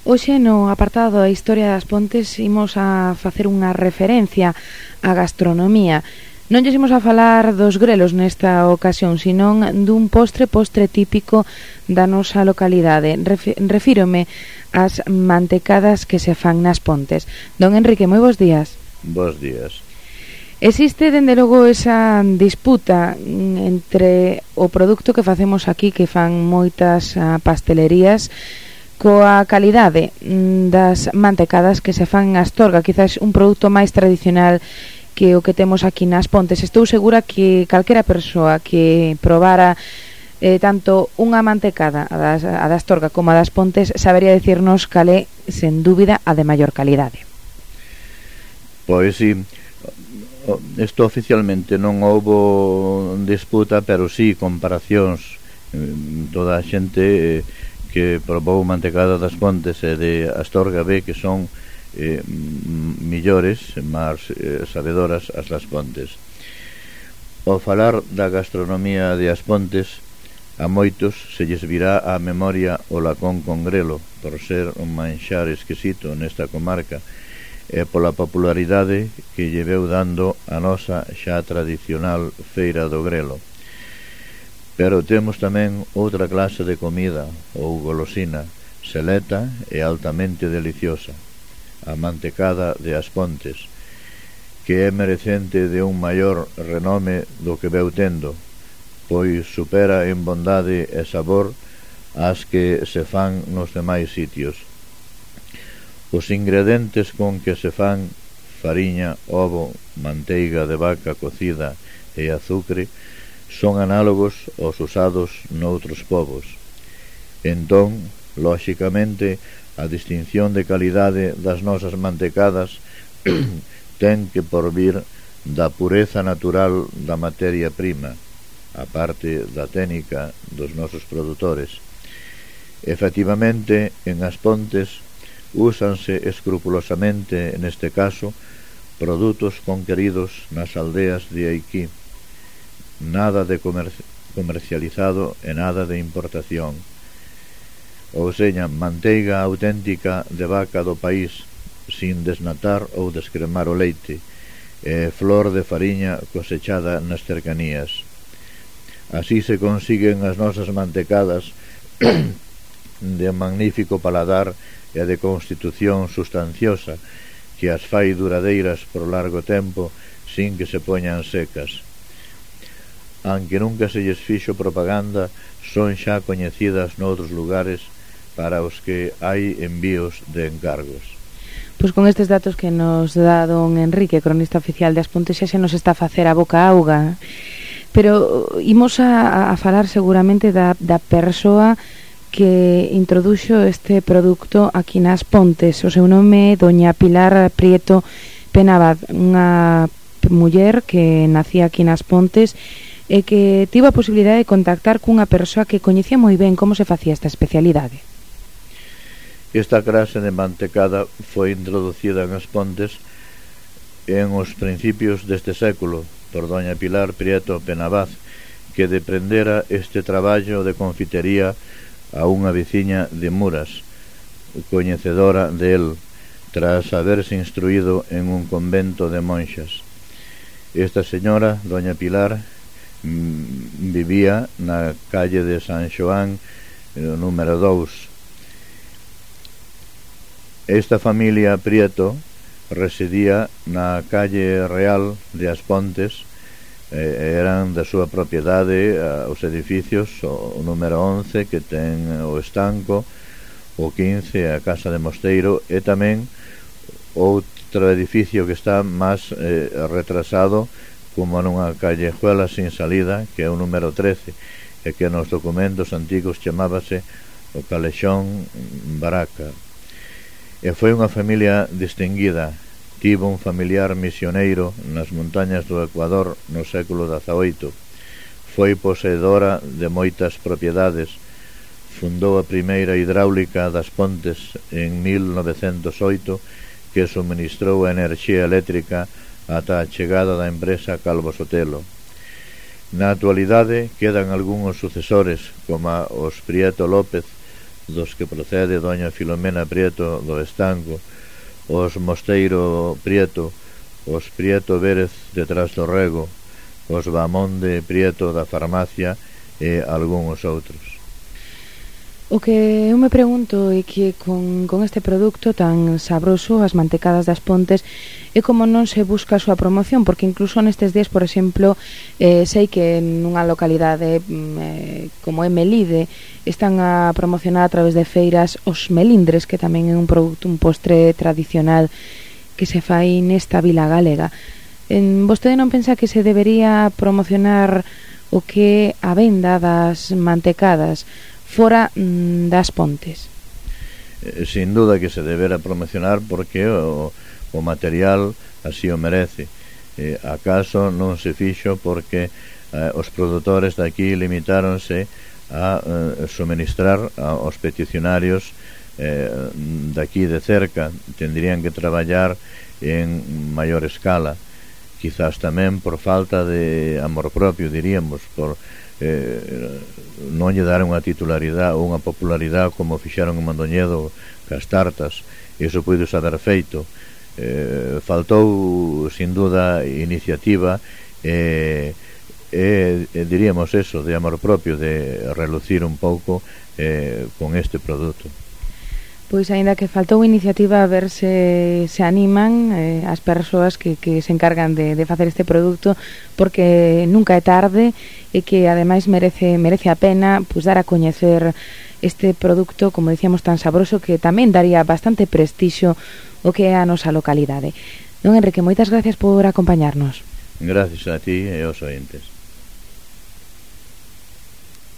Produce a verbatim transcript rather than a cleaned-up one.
Hoxe no apartado da Historia das Pontes imos a facer unha referencia á gastronomía. Non lles imos a falar dos grelos nesta ocasión, senón dun postre postre típico da nosa localidade. Refírome ás mantecadas que se fan nas Pontes. Don Enrique, moi bons días. Bos días. Existe, dende logo, esa disputa entre o produto que facemos aquí, que fan moitas pastelerías, coa calidade das mantecadas que se fan en Astorga, quizás un produto máis tradicional que o que temos aquí nas Pontes. Estou segura que calquera persoa que probara eh, tanto unha mantecada, a das, a da Astorga como a das Pontes, sabería dicirnos cal é, sen dúbida, a de maior calidade. Pois si, isto oficialmente non houbo disputa, pero si comparacións. Toda a xente que probou mantecada das Pontes e de Astorga ve que son eh, millores, máis eh, sabedoras as das Pontes. Ao falar da gastronomía de As Pontes, a moitos se lles virá á memoria o lacón con grelo, por ser un manxar exquisito nesta comarca e pola popularidade que lle veu dando a nosa xa tradicional feira do grelo. Pero temos tamén outra clase de comida ou golosina seleta e altamente deliciosa, a mantecada de As Pontes, que é merecente de un maior renome do que veu tendo, pois supera en bondade e sabor as que se fan nos demais sitios. Os ingredientes con que se fan fariña, ovo, manteiga de vaca cocida e azucre son análogos aos usados noutros povos. Entón, lóxicamente, a distinción de calidade das nosas mantecadas ten que porvir da pureza natural da materia prima, a parte da técnica dos nosos produtores. Efectivamente, en As Pontes úsanse escrupulosamente, neste caso, produtos conqueridos nas aldeas de aquí. Nada de comer comercializado e nada de importación. Ou seña, manteiga auténtica de vaca do país, sin desnatar ou descremar o leite, e flor de fariña cosechada nas cercanías. Así se consiguen as nosas mantecadas de magnífico paladar e de constitución sustanciosa, que as fai duradeiras por largo tempo sin que se poñan secas. Aunque nunca se lles fixo propaganda, son xa coñecidas noutros lugares para os que hai envíos de encargos. Pois con estes datos que nos dá don Enrique, cronista oficial de As Pontes, xa se nos está a facer a boca auga. Pero imos a, a falar seguramente da, da persoa que introduxo este produto aquí nas Pontes. O seu nome é doña Pilar Prieto Penabad, unha muller que nacía aquí nas Pontes e que tivo a posibilidade de contactar cunha persoa que coñecía moi ben como se facía esta especialidade. Esta clase de mantecada foi introducida en As Pontes en os principios deste século por doña Pilar Prieto Penabad, que deprendera este traballo de confitería a unha veciña de Muras, coñecedora del, tras haberse instruído en un convento de monxas. Esta señora, doña Pilar, vivía na calle de San Xoán número dous. Esta familia Prieto residía na calle Real de As Pontes, eh, eran da súa propiedade os edificios, o número once que ten o estanco, o quince a casa de Mosteiro, e tamén outro edificio que está máis eh, retrasado, como nunha callejuela sin salida, que é o número trece, e que nos documentos antigos chamábase o Calexón Baraca. E foi unha familia distinguida. Tivo un familiar misioneiro nas montañas do Ecuador no século dezaoito. Foi poseedora de moitas propiedades. Fundou a primeira hidráulica das Pontes en mil novecentos oito, que suministrou a enerxía eléctrica ata a chegada da empresa Calvo Sotelo. Na actualidade quedan algúns sucesores, como os Prieto López, dos que procede doña Filomena Prieto do Estanco, os Mosteiro Prieto, os Prieto Vérez detrás do Rego, os Bamonde Prieto da farmacia e algúns outros. O que eu me pregunto é que con, con este produto tan sabroso, as mantecadas das Pontes, é como non se busca a súa promoción, porque incluso nestes días, por exemplo, eh, sei que nunha localidade eh, como é Melide están a promocionar a través de feiras os melindres, que tamén é un produto, un postre tradicional que se fai nesta vila galega. En, vostede non pensa que se debería promocionar o que a venda das mantecadas fora mm, das Pontes? Eh, sin duda que se debera promocionar porque o, o material así o merece. Eh, acaso non se fixo porque eh, os produtores daqui limitáronse a eh, suministrar aos peticionarios eh, daqui de cerca. Tendrían que traballar en maior escala, quizás tamén por falta de amor propio, diríamos, por eh, non lle dar unha titularidade ou unha popularidade como fixaron en Mondoñedo cas tartas. Iso puido haber feito. Eh, faltou sin duda iniciativa e eh, eh, diríamos eso, de amor propio, de relucir un pouco eh, con este produto. Pois aínda que faltou iniciativa, a ver se se animan eh, as persoas que, que se encargan de, de facer este produto, porque nunca é tarde e que ademais merece merece a pena pois dar a coñecer este produto, como dicíamos, tan sabroso, que tamén daría bastante prestixio o que é a nosa localidade. Don Enrique, moitas gracias por acompañarnos. Gracias a ti e aos ointes.